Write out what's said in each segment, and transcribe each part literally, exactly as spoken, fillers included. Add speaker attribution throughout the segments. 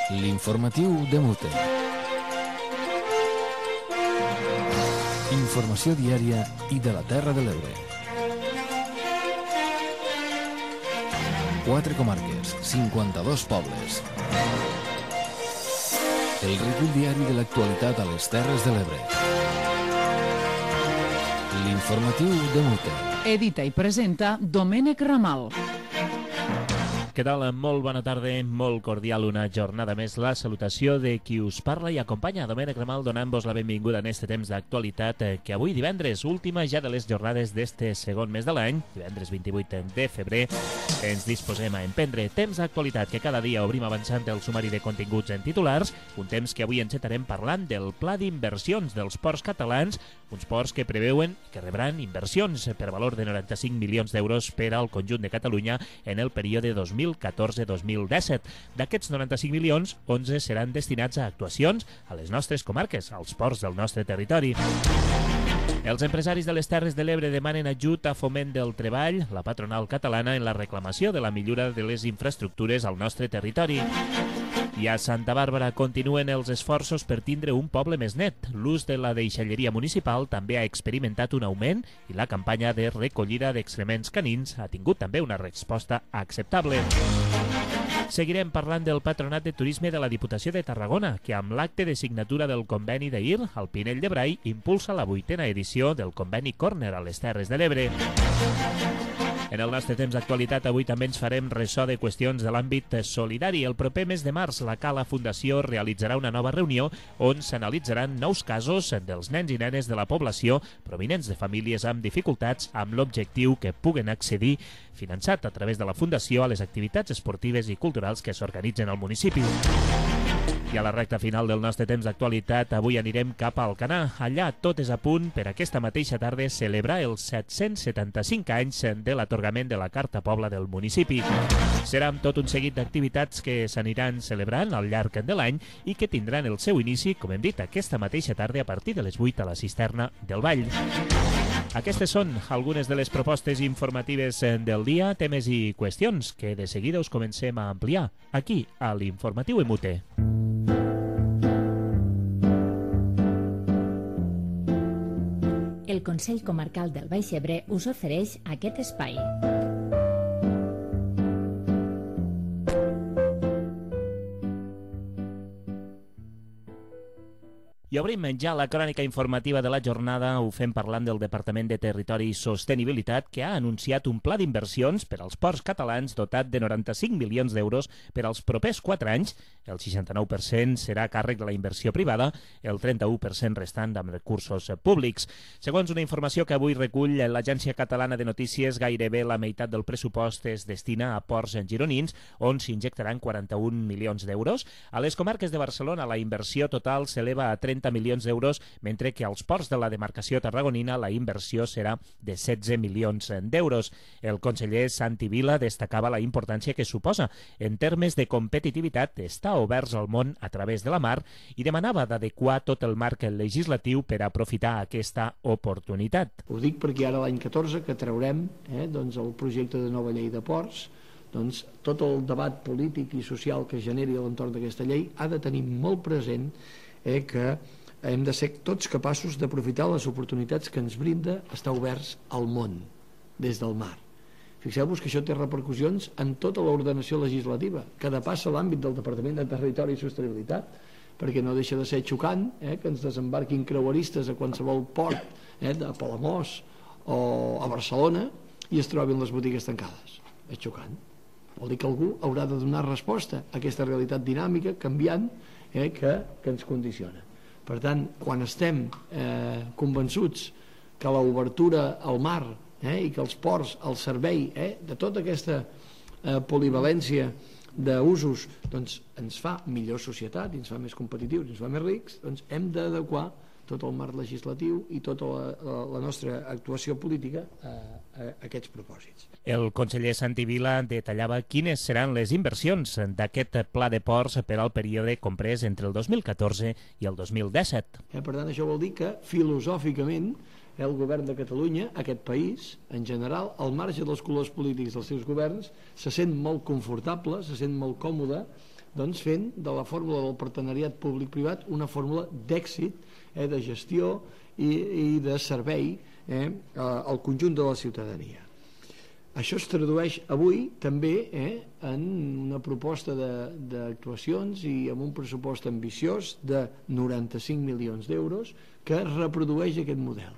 Speaker 1: L'informatiu de Mute. Informació diària i de la Terra de l'Ebre. Quatre comarques, cinquanta-dos pobles. El recull diari de l'actualitat a les Terres de l'Ebre. L'informatiu de Mute.
Speaker 2: Edita i presenta Domènec Ramal.
Speaker 3: Què tal? Molt bona tarda, molt cordial una jornada més. La salutació de qui us parla i acompanya, Domènec Ramal, donant-vos la benvinguda en este temps d'actualitat que avui divendres, última ja de les jornades d'este segon mes de l'any, divendres vint-i-vuit de febrer, ens disposem a emprendre temps d'actualitat que cada dia obrim avançant el sumari de continguts en titulars, un temps que avui encetarem parlant del pla d'inversions dels ports catalans, uns ports que preveuen que rebran inversions per valor de noranta-cinc milions d'euros per al conjunt de Catalunya en el període dos mil catorze dos mil disset. D'aquests noranta-cinc milions, onze seran destinats a actuacions a les nostres comarques, als ports del nostre territori. Els empresaris de les Terres de l'Ebre demanen ajut a Foment del Treball, la patronal catalana, en la reclamació de la millora de les infraestructures al nostre territori. I a Santa Bàrbara continuen els esforços per tindre un poble més net. L'ús de la deixalleria municipal també ha experimentat un augment i la campanya de recollida d'excrements canins ha tingut també una resposta acceptable. Seguirem parlant del Patronat de Turisme de la Diputació de Tarragona, que amb l'acte de signatura del conveni d'ahir, al Pinell de Brai, impulsa la vuitena edició del conveni Corner a les Terres de l'Ebre. En el nostre temps d'actualitat, avui també ens farem ressò de qüestions de l'àmbit solidari. El proper mes de març, la Cala Fundació realitzarà una nova reunió on s'analitzaran nous casos dels nens i nenes de la població provinents de famílies amb dificultats, amb l'objectiu que puguen accedir, finançat a través de la Fundació, a les activitats esportives i culturals que s'organitzen al municipi. I a la recta final del nostre temps d'actualitat, avui anirem cap a Alcanar. Allà tot és a punt per aquesta mateixa tarda celebrar els set-cents setanta-cinc anys de l'atorgament de la Carta Pobla del municipi. Serà amb tot un seguit d'activitats que s'aniran celebrant al llarg de l'any i que tindran el seu inici, com hem dit, aquesta mateixa tarda a partir de les vuit a la cisterna del Vall. Aquestes són algunes de les propostes informatives del dia, temes i qüestions que de seguida us comencem a ampliar aquí a l'Informatiu M U T E.
Speaker 4: El Consell Comarcal del Baix Ebre us ofereix aquest espai.
Speaker 3: I obrim ja la crònica informativa de la jornada. Ho fem parlant del Departament de Territori i Sostenibilitat, que ha anunciat un pla d'inversions per als ports catalans dotat de noranta-cinc milions d'euros per als propers quatre anys. El seixanta-nou per cent serà a càrrec de la inversió privada, el trenta-u per cent restant amb recursos públics. Segons una informació que avui recull l'Agència Catalana de Notícies, gairebé la meitat del pressupost es destina a ports gironins, on s'injectaran quaranta-un milions d'euros. A les comarques de Barcelona la inversió total s'eleva a trenta milions d'euros, mentre que als ports de la demarcació tarragonina la inversió serà de setze milions d'euros. El conseller Santi Vila destacava la importància que suposa en termes de competitivitat estar oberts al món a través de la mar i demanava d'adequar tot el marc legislatiu per aprofitar aquesta oportunitat.
Speaker 5: Ho dic perquè ara l'any catorze que traurem eh, doncs el projecte de nova llei de ports, doncs tot el debat polític i social que generi a l'entorn d'aquesta llei ha de tenir molt present eh, que hem de ser tots capaços d'aprofitar les oportunitats que ens brinda estar oberts al món des del mar. Fixeu-vos que això té repercussions en tota l'ordenació legislativa que depassa l'àmbit del Departament de Territori i Sostenibilitat, perquè no deixa de ser xocant eh, que ens desembarquin creueristes a qualsevol port eh, de Palamós o a Barcelona i es trobin les botigues tancades. És xocant. Vol dir que algú haurà de donar resposta a aquesta realitat dinàmica, canviant, eh, que, que ens condiciona. Per tant, quan estem eh, convençuts que l'obertura al mar eh, i que els ports al servei eh, de tota aquesta eh, polivalència d'usos doncs, ens fa millor societat, ens fa més competitius, ens fa més rics, doncs hem d'adequar tot el marc legislatiu i tota la, la, la nostra actuació política a, a aquests propòsits.
Speaker 3: El conseller Santi Vila detallava quines seran les inversions d'aquest pla de ports per al període comprès entre el dos mil catorze i el dos mil disset.
Speaker 5: Eh, per tant, això vol dir que filosòficament el govern de Catalunya, aquest país, en general, al marge dels colors polítics dels seus governs, se sent molt confortable, se sent molt còmode doncs fent de la fórmula del partenariat públic-privat una fórmula d'èxit, eh, de gestió i, i de servei eh, al conjunt de la ciutadania. Això es tradueix avui també eh, en una proposta d'actuacions i amb un pressupost ambiciós de noranta-cinc milions d'euros que reprodueix aquest model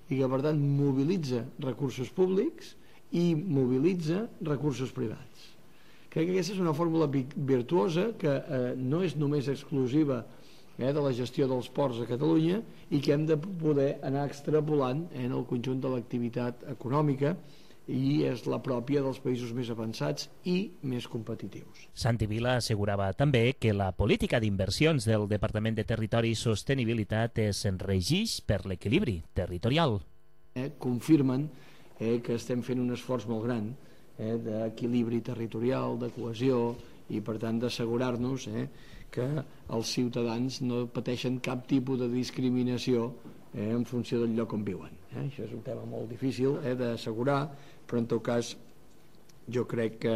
Speaker 5: i que per tant mobilitza recursos públics i mobilitza recursos privats. Crec que aquesta és una fórmula virtuosa que eh, no és només exclusiva eh, de la gestió dels ports a Catalunya i que hem de poder anar extrapolant en el conjunt de l'activitat econòmica i és la pròpia dels països més avançats i més competitius.
Speaker 3: Santi Vila assegurava també que la política d'inversions del Departament de Territori i Sostenibilitat es regeix per l'equilibri territorial.
Speaker 5: Eh, confirmen eh, que estem fent un esforç molt gran eh, d'equilibri territorial, de cohesió i per tant d'assegurar-nos eh, que els ciutadans no pateixen cap tipus de discriminació eh, en funció del lloc on viuen. Eh? Això és un tema molt difícil eh, d'assegurar, però en tot cas jo crec que,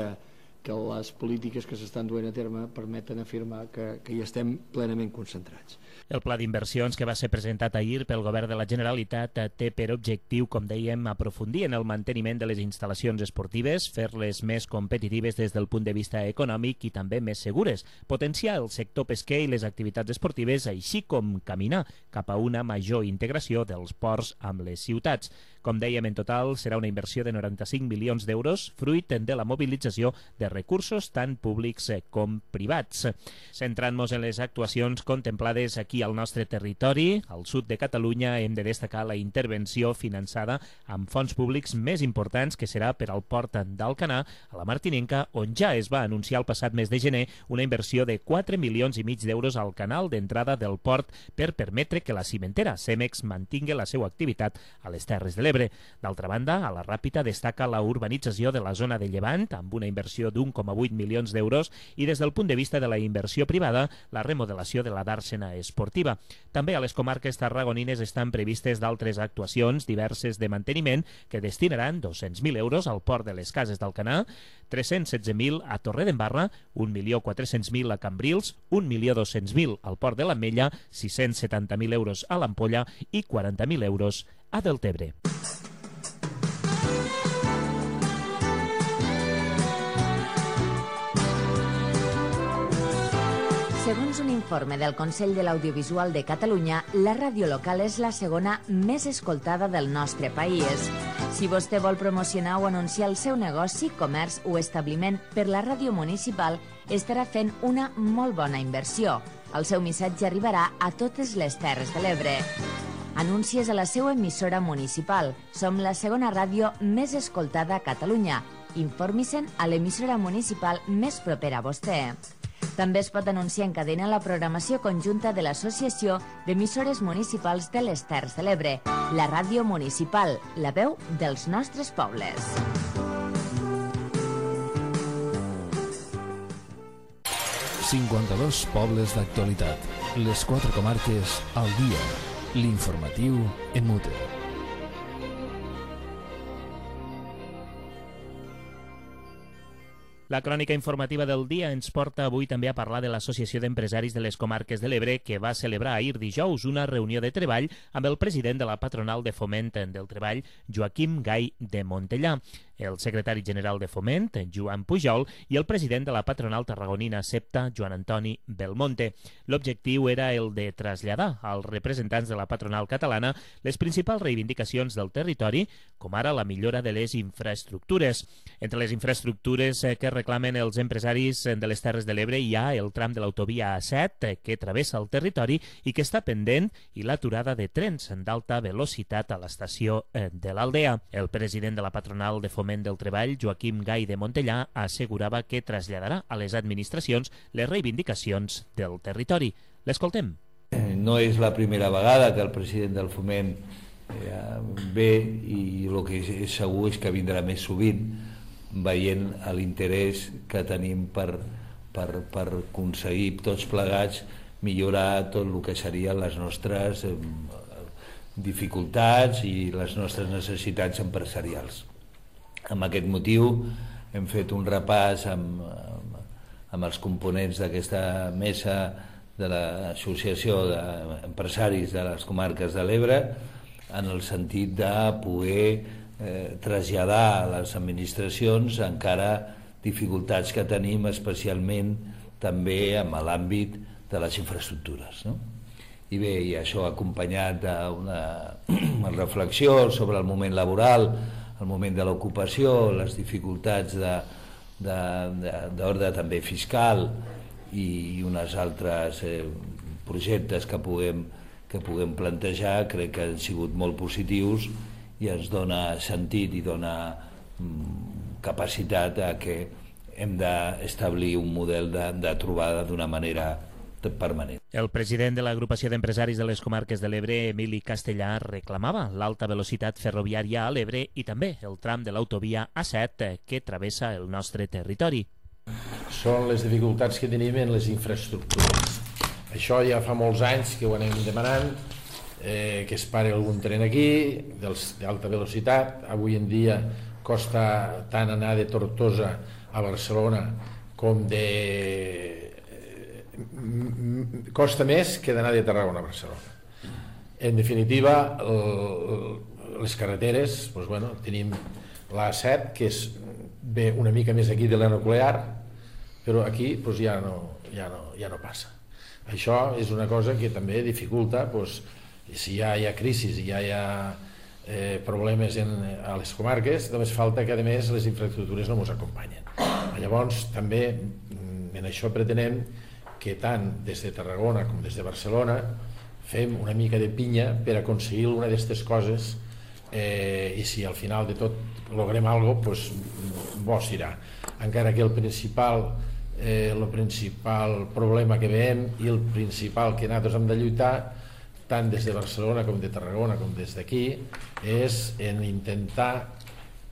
Speaker 5: que les polítiques que s'estan duent a terme permeten afirmar que, que hi estem plenament concentrats.
Speaker 3: El pla d'inversions que va ser presentat ahir pel Govern de la Generalitat té per objectiu, com dèiem, aprofundir en el manteniment de les instal·lacions esportives, fer-les més competitives des del punt de vista econòmic i també més segures, potenciar el sector pesquer i les activitats esportives, així com caminar cap a una major integració dels ports amb les ciutats. Com dèiem, en total serà una inversió de noranta-cinc milions d'euros, fruit de la mobilització de recursos tant públics com privats. Centrant-nos en les actuacions contemplades aquí al nostre territori, al sud de Catalunya, hem de destacar la intervenció finançada amb fons públics més importants que serà per al port d'Alcanar, a la Martinenca, on ja es va anunciar el passat mes de gener una inversió de quatre milions i mig d'euros al canal d'entrada del port per permetre que la cimentera Cemex mantingui la seva activitat a les Terres de l'Ebre. D'altra banda, a la Ràpita destaca la urbanització de la zona de Llevant amb una inversió d'un coma vuit milions d'euros i des del punt de vista de la inversió privada, la remodelació de la dàrsena esportiva. També a les comarques tarragonines estan previstes d'altres actuacions diverses de manteniment que destinaran dos-cents mil euros al port de les Cases d'Alcanar, tres-cents setze mil a Torredembarra, un milió quatre-cents mil a Cambrils, un milió dos-cents mil al port de l'Ametlla, sis-cents setanta mil euros a l'Ampolla i quaranta mil euros a Deltebre.
Speaker 6: Segons un informe del Consell de l'Audiovisual de Catalunya, la ràdio local és la segona més escoltada del nostre país. Si vostè vol promocionar o anunciar el seu negoci, comerç o establiment per la ràdio municipal, estarà fent una molt bona inversió. El seu missatge arribarà a totes les Terres de l'Ebre. Anuncies a la seva emissora municipal. Som la segona ràdio més escoltada a Catalunya. Informi-se'n a l'emissora municipal més propera a vostè. També es pot anunciar en cadena la programació conjunta de l'Associació d'Emissores Municipals de les Terres de l'Ebre, la ràdio municipal, la veu dels nostres pobles.
Speaker 1: cinquanta-dos pobles d'actualitat. Les quatre comarques al dia. L'informatiu en Mute.
Speaker 3: La crònica informativa del dia ens porta avui també a parlar de l'Associació d'Empresaris de les Comarques de l'Ebre, que va celebrar ahir dijous una reunió de treball amb el president de la Patronal de Foment del Treball, Joaquim Gai de Montellà, el secretari general de Foment, Joan Pujol, i el president de la Patronal Tarragonina Septa, Joan Antoni Belmonte. L'objectiu era el de traslladar als representants de la patronal catalana les principals reivindicacions del territori, com ara la millora de les infraestructures. Entre les infraestructures que reclamen els empresaris de les Terres de l'Ebre hi ha el tram de l'autovia A set que travessa el territori i que està pendent i l'aturada de trens d'alta velocitat a l'estació de l'Aldea. El president de la Patronal de Foment del Treball, Joaquim Gai de Montellà, assegurava que traslladarà a les administracions les reivindicacions del territori. L'escoltem.
Speaker 7: No és la primera vegada que el president del Foment ve i el que és segur és que vindrà més sovint, veient l'interès que tenim per, per, per aconseguir tots plegats millorar tot el que serien les nostres eh, dificultats i les nostres necessitats empresarials. Amb aquest motiu hem fet un repàs amb, amb, amb els components d'aquesta mesa de l'Associació d'Empresaris de les Comarques de l'Ebre, en el sentit de poder eh, traslladar a les administracions encara dificultats que tenim, especialment també en l'àmbit de les infraestructures, no? I bé, i això acompanyat d'una reflexió sobre el moment laboral, el moment de l'ocupació, les dificultats d'ordre també fiscal i uns altres eh, projectes que puguem, que puguem plantejar, crec que han sigut molt positius i ens dona sentit i dona mm, capacitat a que hem d'establir un model de, de trobada d'una manera permanent.
Speaker 3: El president de l'Agrupació d'Empresaris de les Comarques de l'Ebre, Emili Castellà, reclamava l'alta velocitat ferroviària a l'Ebre i també el tram de l'autovia A set que travessa el nostre territori.
Speaker 8: Són les dificultats que tenim en les infraestructures. Això ja fa molts anys que ho anem demanant, eh, que es pari algun tren aquí, d'alta velocitat. Avui en dia costa tant anar de Tortosa a Barcelona com de... costa més que d'anar de Tarragona a Barcelona. En definitiva, les carreteres, doncs, bueno, tenim l'A set, que és ve una mica més aquí de la nuclear, però aquí doncs, ja, no, ja, no, ja no passa. Això és una cosa que també dificulta, doncs, si ja hi ha crisi, si ja hi ha eh, problemes en, a les comarques, només falta que a més les infraestructures no ens acompanyen. Llavors també en això pretenem que tant des de Tarragona com des de Barcelona fem una mica de pinya per aconseguir una d'aquestes coses, eh, i si al final de tot logrem alguna cosa, doncs bo serà. Encara que el principal, eh, el principal problema que veiem i el principal que nosaltres hem de lluitar, tant des de Barcelona com de Tarragona com des d'aquí, és en intentar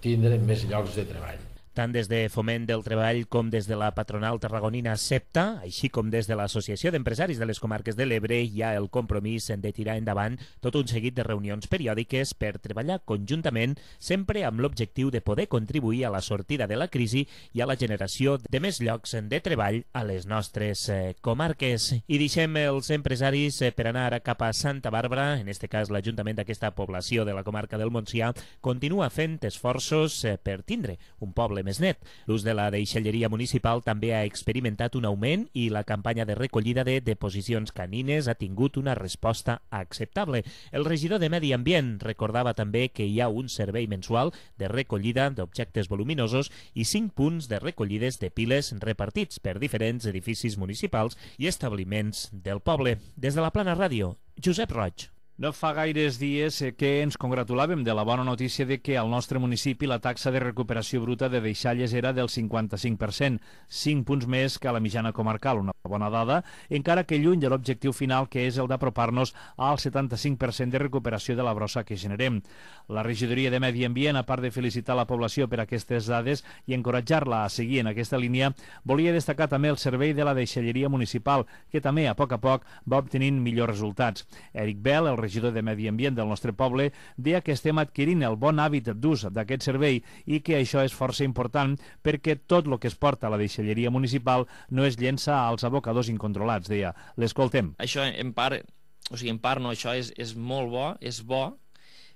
Speaker 8: tindre més llocs de treball.
Speaker 3: Tant des de Foment del Treball com des de la patronal tarragonina SEPTA, així com des de l'Associació d'Empresaris de les Comarques de l'Ebre, hi ha el compromís de tirar endavant tot un seguit de reunions periòdiques per treballar conjuntament, sempre amb l'objectiu de poder contribuir a la sortida de la crisi i a la generació de més llocs de treball a les nostres eh, comarques. I deixem els empresaris eh, per anar ara cap a Santa Bàrbara, en aquest cas l'Ajuntament d'aquesta població de la comarca del Montsià continua fent esforços eh, per tindre un poble més net. L'ús de la deixalleria municipal també ha experimentat un augment i la campanya de recollida de deposicions canines ha tingut una resposta acceptable. El regidor de Medi Ambient recordava també que hi ha un servei mensual de recollida d'objectes voluminosos i cinc punts de recollides de piles repartits per diferents edificis municipals i establiments del poble. Des de la Plana Ràdio, Josep Roig.
Speaker 9: No fa gaires dies que ens congratulàvem de la bona notícia de que al nostre municipi la taxa de recuperació bruta de deixalles era del cinquanta-cinc per cent, cinc punts més que a la mitjana comarcal, una bona dada, encara que lluny de l'objectiu final que és el d'apropar-nos al setanta-cinc per cent de recuperació de la brossa que generem. La regidoria de Medi Ambient, a part de felicitar la població per aquestes dades i encoratjar-la a seguir en aquesta línia, volia destacar també el servei de la deixalleria municipal, que també a poc a poc va obtenint millors resultats. Eric Bell, el regidor de Medi Ambient del nostre poble, deia que estem adquirint el bon hàbit d'ús d'aquest servei i que això és força important perquè tot el que es porta a la deixalleria municipal no es llença als abocadors incontrolats, deia. L'escoltem.
Speaker 10: Això en part, o sigui, en part no, això és, és molt bo, és bo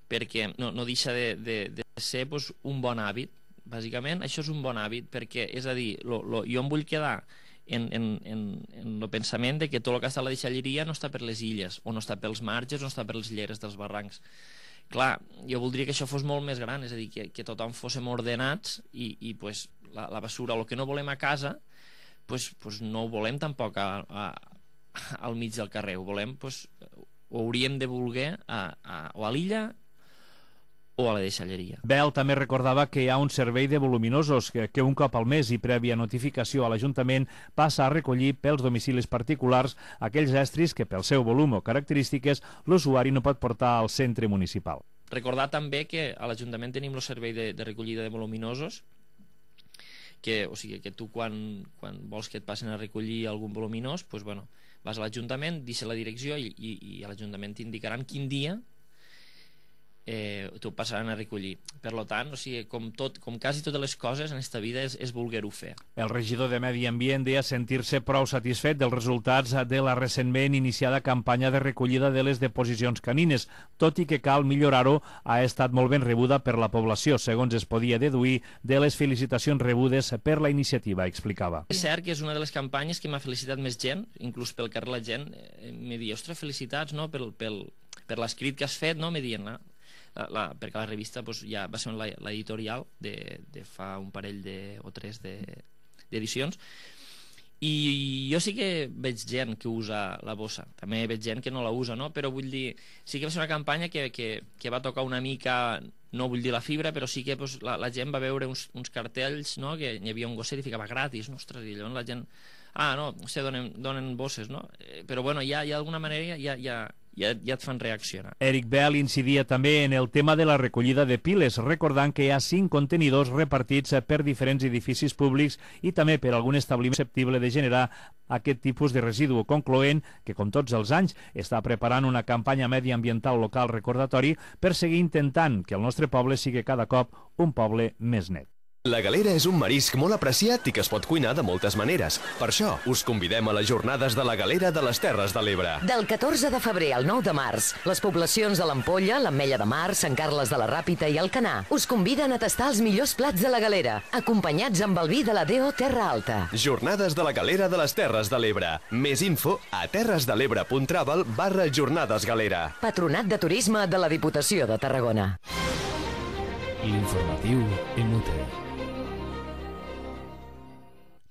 Speaker 10: perquè no, no deixa de, de, de ser pues, un bon hàbit. Bàsicament, això és un bon hàbit perquè, és a dir, lo, lo, jo em vull quedar en, en, en, en el pensament de que tot el que està a la deixalleria no està per les illes, o no està pels marges, o no està per les lleres dels barrancs. Clar, jo voldria que això fos molt més gran, és a dir, que, que tothom fóssim ordenats i, i pues, la, la basura, el que no volem a casa, pues, pues no ho volem tampoc a, a, al mig del carrer, ho volem, pues, ho hauríem de voler a, a, o a l'illa o a la deixalleria.
Speaker 9: Bell també recordava que hi ha un servei de voluminosos que, que un cop al mes i prèvia notificació a l'Ajuntament passa a recollir pels domicilis particulars aquells estris que pel seu volum o característiques l'usuari no pot portar al centre municipal.
Speaker 10: Recordar també que a l'Ajuntament tenim el servei de, de recollida de voluminosos, que, o sigui, que tu quan, quan vols que et passin a recollir algun voluminós, pues, bueno, vas a l'Ajuntament, deixa la direcció i, i, i a l'Ajuntament t'indicaran quin dia eh, t'ho passaran a recollir. Per tant, o sigui, com, tot, com quasi totes les coses en aquesta vida és, és voler-ho fer.
Speaker 9: El regidor de Medi Ambient deia sentir-se prou satisfet dels resultats de la recentment iniciada campanya de recollida de les deposicions canines, tot i que cal millorar-ho, ha estat molt ben rebuda per la població, segons es podia deduir de les felicitacions rebudes per la iniciativa, explicava.
Speaker 10: És cert que és una de les campanyes que m'ha felicitat més gent, inclús pel carrer la gent eh, me diu, ostres, felicitats, no?, pel, pel, per l'escrit que has fet, no?, me diuen, no? La, la, perquè la revista pues, ja va ser l'editorial de, de fa un parell de, o tres d'edicions, i jo sí que veig gent que usa la bossa, també veig gent que no la usa, no? Però vull dir, sí que va ser una campanya que, que, que va tocar una mica, no vull dir la fibra, però sí que pues, la, la gent va veure uns, uns cartells, no?, que hi havia un gosset i ficava gratis, no? Ostres, i llavors la gent, ah, no, o sigui, donen, donen bosses, no? Eh, però bueno, ja, ja d'alguna manera ja, ja, ja, ja et fan reaccionar.
Speaker 9: Eric Bell incidia també en el tema de la recollida de piles, recordant que hi ha cinc contenidors repartits per diferents edificis públics i també per algun establiment susceptible de generar aquest tipus de residu, concloent que, com tots els anys, està preparant una campanya mediambiental local recordatori per seguir intentant que el nostre poble sigui cada cop un poble més net.
Speaker 11: La galera és un marisc molt apreciat i que es pot cuinar de moltes maneres. Per això, us convidem a les jornades de la galera de les Terres de l'Ebre.
Speaker 12: Del catorze de febrer al nou de març, les poblacions de l'Ampolla, l'Ametlla de Mar, Sant Carles de la Ràpita i Alcanar us conviden a tastar els millors plats de la galera, acompanyats amb el vi de la D O Terra Alta.
Speaker 11: Jornades de la galera de les Terres de l'Ebre. Més info a terresdelebre.travel barra jornades galera.
Speaker 12: Patronat de Turisme de la Diputació de Tarragona.
Speaker 1: L'informatiu inútil.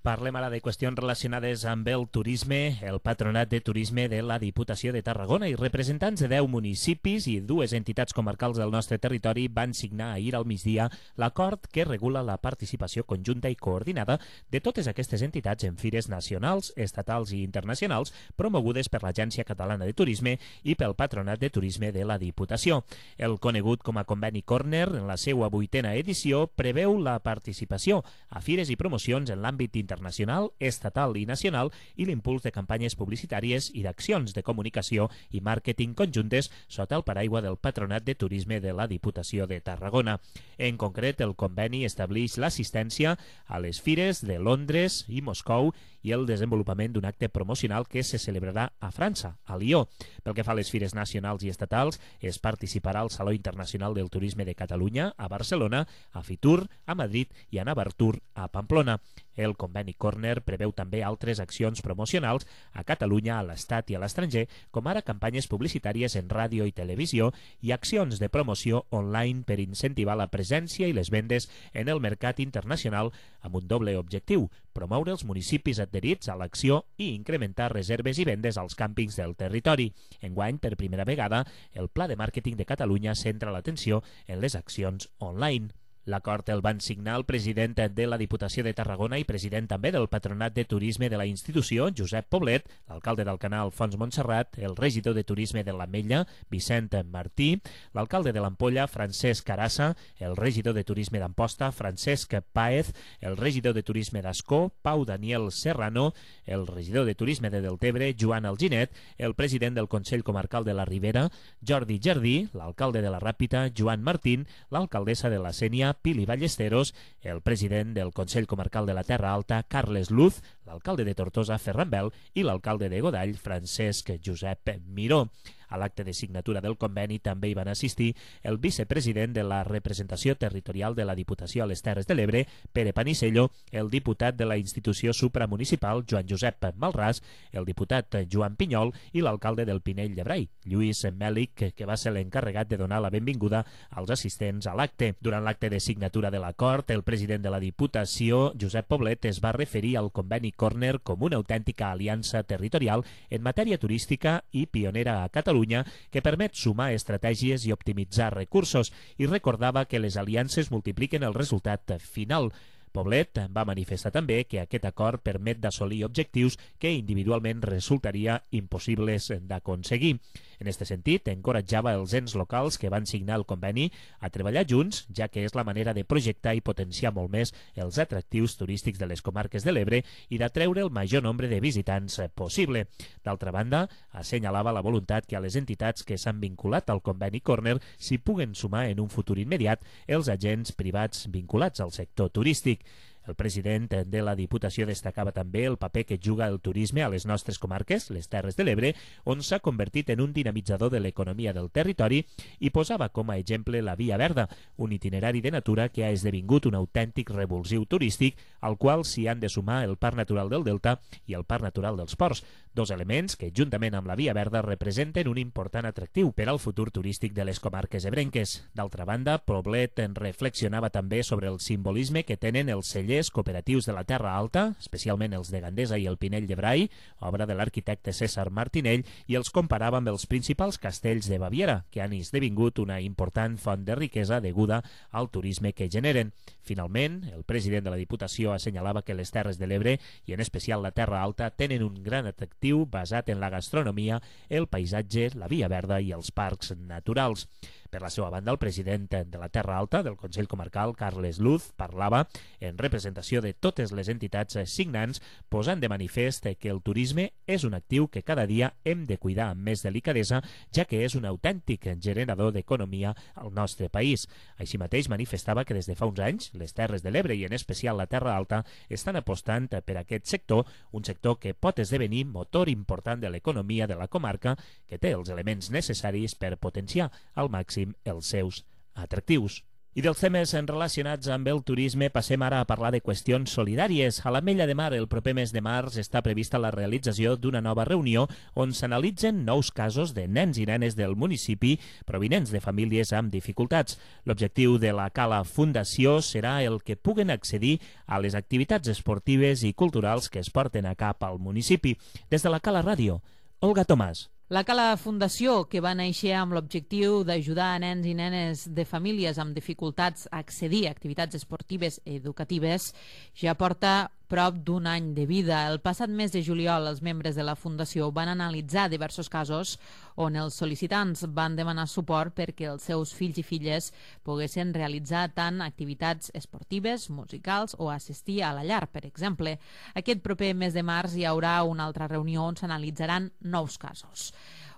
Speaker 3: Parlem ara de qüestions relacionades amb el turisme. El Patronat de Turisme de la Diputació de Tarragona i representants de deu municipis i dues entitats comarcals del nostre territori van signar ahir al migdia l'acord que regula la participació conjunta i coordinada de totes aquestes entitats en fires nacionals, estatals i internacionals promogudes per l'Agència Catalana de Turisme i pel Patronat de Turisme de la Diputació. El conegut com a Conveni Corner, en la seva vuitena edició, preveu la participació a fires i promocions en l'àmbit internacional internacional, estatal i nacional i l'impuls de campanyes publicitàries i d'accions de comunicació i màrqueting conjuntes sota el paraigua del Patronat de Turisme de la Diputació de Tarragona. En concret, el conveni estableix l'assistència a les fires de Londres i Moscou i el desenvolupament d'un acte promocional que se celebrarà a França, a Lió. Pel que fa a les fires nacionals i estatals, es participarà al Saló Internacional del Turisme de Catalunya, a Barcelona, a Fitur, a Madrid i a Navartur, a Pamplona. El Conveni Corner preveu també altres accions promocionals a Catalunya, a l'Estat i a l'estranger, com ara campanyes publicitàries en ràdio i televisió i accions de promoció online per incentivar la presència i les vendes en el mercat internacional amb un doble objectiu: promoure els municipis adherits a l'acció i incrementar reserves i vendes als càmpings del territori. Enguany, per primera vegada, el Pla de Màrqueting de Catalunya centra l'atenció en les accions online. L'acord el van signar el president de la Diputació de Tarragona i president també del Patronat de Turisme de la institució, Josep Poblet, l'alcalde d'Alcanar, Alfons Montserrat, el regidor de Turisme de l'Ametlla, Vicent Martí, l'alcalde de l'Ampolla, Francesc Carassa, el regidor de Turisme d'Amposta, Francesc Páez, el regidor de Turisme d'Ascó, Pau Daniel Serrano, el regidor de Turisme de Deltebre, Joan Alginet, el president del Consell Comarcal de la Ribera, Jordi Jardí, l'alcalde de la Ràpita, Joan Martín, l'alcaldessa de la Sénia, Pili Ballesteros, el president del Consell Comarcal de la Terra Alta, Carles Luz, l'alcalde de Tortosa, Ferran Bel, i l'alcalde de Godall, Francesc Josep Miró. A l'acte de signatura del conveni també hi van assistir el vicepresident de la representació territorial de la Diputació a les Terres de l'Ebre, Pere Panisello, el diputat de la institució supramunicipal, Joan Josep Malràs, el diputat Joan Pinyol i l'alcalde del Pinell de Brai, Lluís Mèlic, que va ser l'encarregat de donar la benvinguda als assistents a l'acte. Durant l'acte de signatura de l'acord, el president de la Diputació, Josep Poblet, es va referir al conveni Corner com una autèntica aliança territorial en matèria turística i pionera a Catalunya, que permet sumar estratègies i optimitzar recursos, i recordava que les aliances multipliquen el resultat final. Poblet va manifestar també que aquest acord permet d'assolir objectius que individualment resultaria impossibles d'aconseguir. En aquest sentit, encoratjava els ens locals que van signar el conveni a treballar junts, ja que és la manera de projectar i potenciar molt més els atractius turístics de les comarques de l'Ebre i d'atreure el major nombre de visitants possible. D'altra banda, assenyalava la voluntat que a les entitats que s'han vinculat al conveni Corner s'hi puguen sumar en un futur immediat els agents privats vinculats al sector turístic. El president de la Diputació destacava també el paper que juga el turisme a les nostres comarques, les Terres de l'Ebre, on s'ha convertit en un dinamitzador de l'economia del territori i posava com a exemple la Via Verda, un itinerari de natura que ha esdevingut un autèntic revulsiu turístic al qual s'hi han de sumar el Parc Natural del Delta i el Parc Natural dels Ports, dos elements que, juntament amb la Via Verda, representen un important atractiu per al futur turístic de les comarques ebrenques. D'altra banda, Poblet en reflexionava també sobre el simbolisme que tenen els cellers cooperatius de la Terra Alta, especialment els de Gandesa i el Pinell de Brai, obra de l'arquitecte César Martinell, i els comparava amb els principals castells de Baviera, que han esdevingut una important font de riquesa deguda al turisme que generen. Finalment, el president de la Diputació assenyalava que les Terres de l'Ebre, i en especial la Terra Alta, tenen un gran atractiu basat en la gastronomia, el paisatge, la Via Verda i els parcs naturals. Per la seva banda, el president de la Terra Alta, del Consell Comarcal, Carles Luz, parlava en representació de totes les entitats signants, posant de manifest que el turisme és un actiu que cada dia hem de cuidar amb més delicadesa, ja que és un autèntic generador d'economia al nostre país. Així mateix manifestava que des de fa uns anys les Terres de l'Ebre i en especial la Terra Alta estan apostant per aquest sector, un sector que pot esdevenir motor important de l'economia de la comarca, que té els elements necessaris per potenciar al màxim els seus atractius. I dels temes relacionats amb el turisme passem ara a parlar de qüestions solidàries. A l'Ametlla de Mar, el proper mes de març, està prevista la realització d'una nova reunió on s'analitzen nous casos de nens i nenes del municipi provinents de famílies amb dificultats. L'objectiu de la Cala Fundació serà el que puguen accedir a les activitats esportives i culturals que es porten a cap al municipi. Des de la Cala Ràdio, Olga Tomàs.
Speaker 2: La Cala Fundació, que va néixer amb l'objectiu d'ajudar a nens i nenes de famílies amb dificultats a accedir a activitats esportives i educatives, ja porta prop d'un any de vida. El passat mes de juliol, els membres de la Fundació van analitzar diversos casos on els sol·licitants van demanar suport perquè els seus fills i filles poguessin realitzar tant activitats esportives, musicals o assistir a la llar, per exemple. Aquest proper mes de març hi haurà una altra reunió on s'analitzaran nous casos.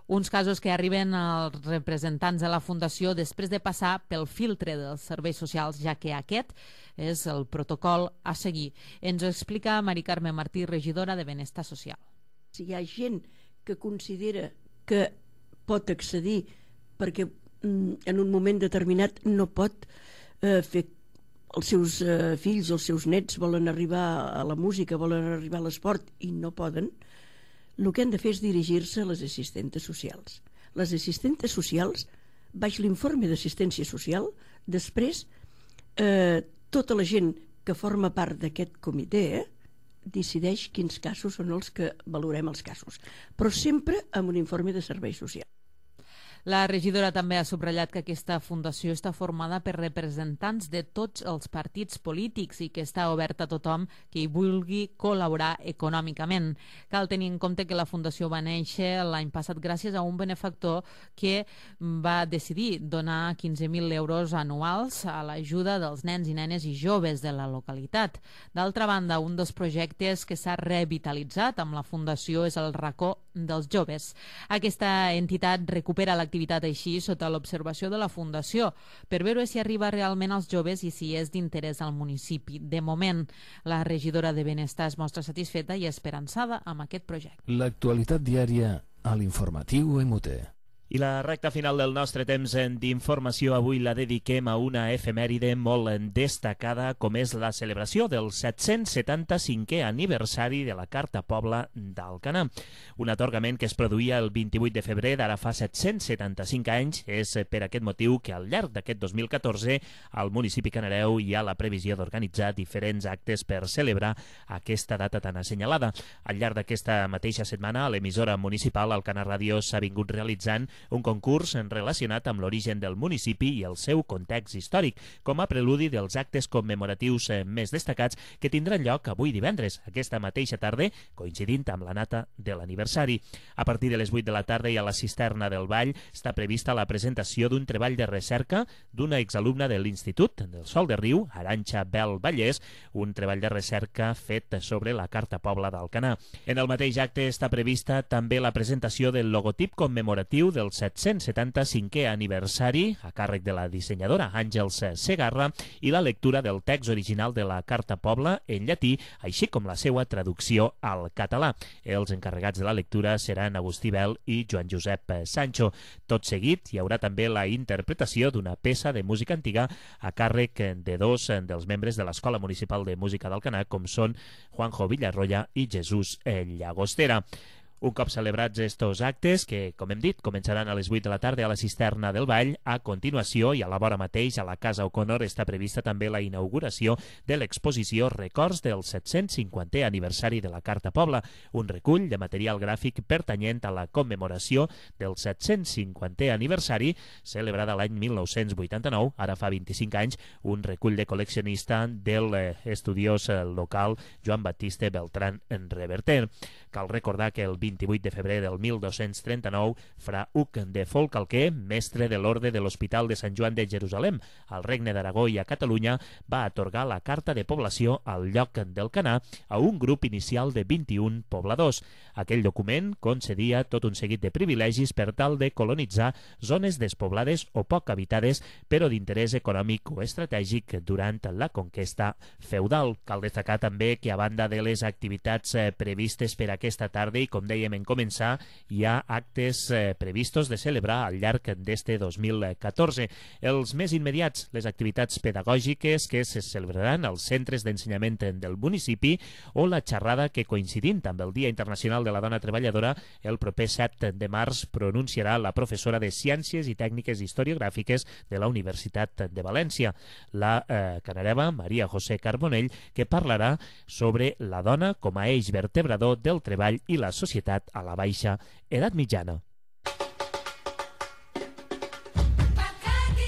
Speaker 2: Uns casos que arriben als representants de la Fundació després de passar pel filtre dels serveis socials, ja que aquest és el protocol a seguir. Ens ho explica Mari Carme Martí, regidora de Benestar Social.
Speaker 13: Si hi ha gent que considera que pot accedir perquè en un moment determinat no pot eh, fer els seus eh, fills o els seus nets volen arribar a la música, volen arribar a l'esport i no poden, el que han de fer és dirigir-se a les assistentes socials. Les assistentes socials, baix l'informe d'assistència social, després eh, tota la gent que forma part d'aquest comitè eh, decideix quins casos són els que valorem els casos, però sempre amb un informe de serveis socials.
Speaker 2: La regidora també ha subratllat que aquesta fundació està formada per representants de tots els partits polítics i que està oberta a tothom que hi vulgui col·laborar econòmicament. Cal tenir en compte que la fundació va néixer l'any passat gràcies a un benefactor que va decidir donar quinze mil euros anuals a l'ajuda dels nens i nenes i joves de la localitat. D'altra banda, un dels projectes que s'ha revitalitzat amb la fundació és el racó dels joves. Aquesta entitat recupera l'activitat així sota l'observació de la Fundació per veure si arriba realment als joves i si és d'interès al municipi. De moment, la regidora de Benestar es mostra satisfeta i esperançada amb aquest projecte.
Speaker 1: L'actualitat diària a l'informatiu M U T.
Speaker 3: I la recta final del nostre temps d'informació avui la dediquem a una efemèride molt destacada com és la celebració del set-cents setanta-cinquè aniversari de la Carta Pobla d'Alcanar. Un atorgament que es produïa el vint-i-vuit de febrer d'ara fa set-cents setanta-cinc anys. És per aquest motiu que al llarg d'aquest dos mil catorze al municipi canareu hi ha la previsió d'organitzar diferents actes per celebrar aquesta data tan assenyalada. Al llarg d'aquesta mateixa setmana a l'emissora municipal Alcanar Ràdio s'ha vingut realitzant un concurs relacionat amb l'origen del municipi i el seu context històric, com a preludi dels actes commemoratius més destacats que tindran lloc avui divendres, aquesta mateixa tarda, coincidint amb la data de l'aniversari. A partir de les vuit de la tarda i a la cisterna del Vall està prevista la presentació d'un treball de recerca d'una exalumna de l'Institut del Sol de Riu, Arantxa Bel Vallès, un treball de recerca fet sobre la Carta Pobla d'Alcanar. En el mateix acte està prevista també la presentació del logotip commemoratiu del set-cents setanta-cinquè aniversari a càrrec de la dissenyadora Àngels Segarra i la lectura del text original de la Carta Pobla en llatí, així com la seva traducció al català. Els encarregats de la lectura seran Agustí Bel i Joan Josep Sancho. Tot seguit hi haurà també la interpretació d'una peça de música antiga a càrrec de dos dels membres de l'Escola Municipal de Música d'Alcanar, com són Juanjo Villarroya i Jesús Llagostera. Un cop celebrats estos actes, que, com hem dit, començaran a les vuit de la tarda a la cisterna del Vall, a continuació i a la vora mateix a la Casa O'Connor està prevista també la inauguració de l'exposició Records del set-cents cinquantè aniversari de la Carta Pobla, un recull de material gràfic pertanyent a la commemoració del set-cents cinquantè aniversari, celebrada l'any mil nou-cents vuitanta-nou, ara fa vint-i-cinc anys, un recull de col·leccionista del eh, estudiós eh, local Joan Baptiste Beltrán en Reverter. Cal recordar que el vint-i-vuit de febrer del mil dos-cents trenta-nou, fra Hug de Folcalquer, mestre de l'Orde de l'Hospital de Sant Joan de Jerusalem, al Regne d'Aragó i a Catalunya, va atorgar la carta de població al lloc d'Alcanar a un grup inicial de vint-i-un pobladors. Aquell document concedia tot un seguit de privilegis per tal de colonitzar zones despoblades o poc habitades, però d'interès econòmic o estratègic durant la conquesta feudal. Cal destacar també que, a banda de les activitats eh, previstes per aquesta tarda, i com dèiem en començar, hi ha actes eh, previstos de celebrar al llarg d'este dos mil catorze. Els més immediats, les activitats pedagògiques que se celebraran als centres d'ensenyament del municipi o la xerrada que, coincidint amb el Dia Internacional de la Dona Treballadora, el proper set de març pronunciarà la professora de Ciències i Tècniques Historiogràfiques de la Universitat de València, la eh, canareva Maria José Carbonell, que parlarà sobre la dona com a eix vertebrador del treball i la societat a la baixa edat mitjana.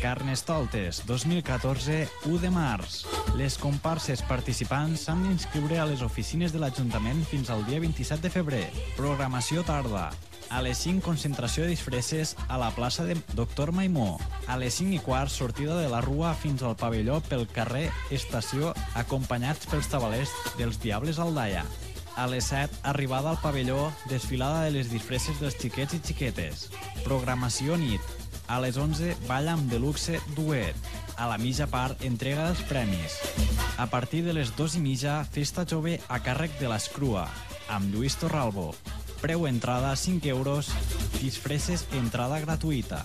Speaker 14: Carnestoltes dos mil catorze, u de març. Les comparses participants s'han d'inscriure a les oficines de l'Ajuntament fins al dia vint-i-set de febrer. Programació tarda. A les cinc, concentració de disfresses a la plaça de Doctor Maimó. A les cinc i quart, sortida de la Rua fins al pavelló pel carrer Estació, acompanyats pels tabalers dels Diables Aldaia. A les set, arribada al pavelló, desfilada de les disfresses dels xiquets i xiquetes. Programació nit. A les onze, ball amb deluxe duet. A la mitja part, entrega dels premis. A partir de les dos i mitja, festa jove a càrrec de l'Escrua, amb Lluís Torralbo. Preu entrada cinc euros, disfresses entrada gratuïta.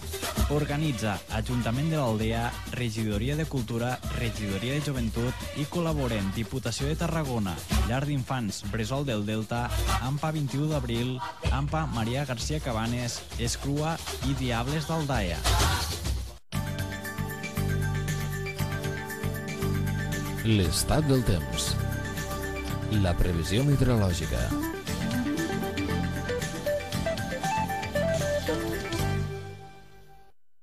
Speaker 14: Organitza Ajuntament de l'Aldea, Regidoria de Cultura, Regidoria de Joventut i col·laboren Diputació de Tarragona, Llar d'Infants Bressol del Delta, AMPA vint-i-u d'abril, AMPA Maria García Cabanes, Escrua i Diables d'Aldaia.
Speaker 1: L'estat del temps. La previsió meteorològica.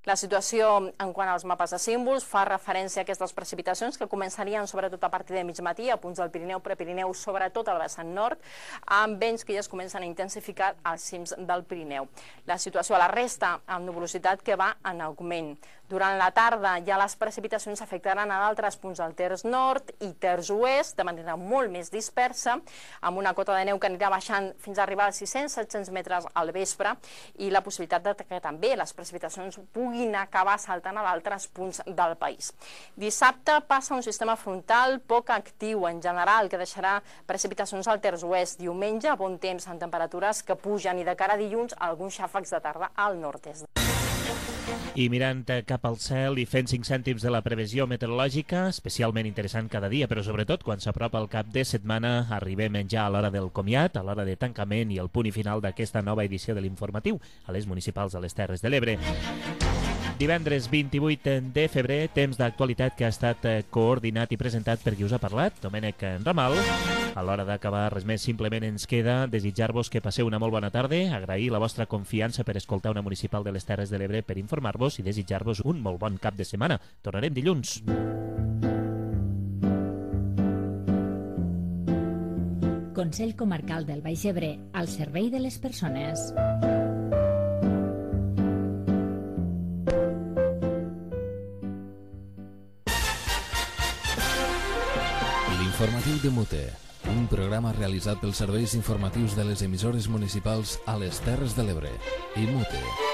Speaker 15: La situació en quant als mapes de símbols fa referència a aquestes precipitacions que començarien sobretot a partir de mig matí a punts del Pirineu, Prepirineu, sobretot al vessant nord, amb vents que ja es comencen a intensificar als cims del Pirineu. La situació a la resta, amb nuvolositat que va en augment. Durant la tarda ja les precipitacions afectaran a d'altres punts del terç nord i terç oest de manera molt més dispersa, amb una cota de neu que anirà baixant fins a arribar als sis-cents a set-cents metres al vespre i la possibilitat de que també les precipitacions puguin acabar saltant a d'altres punts del país. Dissabte passa un sistema frontal poc actiu en general que deixarà precipitacions al terç oest. Diumenge, bon temps amb temperatures que pugen i de cara a dilluns alguns xàfecs de tarda al nord-est.
Speaker 3: I mirant cap al cel i fent cinc cèntims de la previsió meteorològica, especialment interessant cada dia, però sobretot quan s'apropa el cap de setmana, arribem ja a l'hora del comiat, a l'hora de tancament i el punt i final d'aquesta nova edició de l'informatiu a les municipals de les Terres de l'Ebre. Divendres vint-i-vuit de febrer, temps d'actualitat que ha estat coordinat i presentat per qui us ha parlat, Domènec Ramal. A l'hora d'acabar, res més, simplement ens queda desitjar-vos que passeu una molt bona tarda, agrair la vostra confiança per escoltar una municipal de les Terres de l'Ebre, per informar-vos i desitjar-vos un molt bon cap de setmana. Tornarem dilluns.
Speaker 4: Consell Comarcal del Baix Ebre, al servei de les persones.
Speaker 1: L'informatiu de Mute, un programa realitzat pels serveis informatius de les emissores municipals a les Terres de l'Ebre i Mute.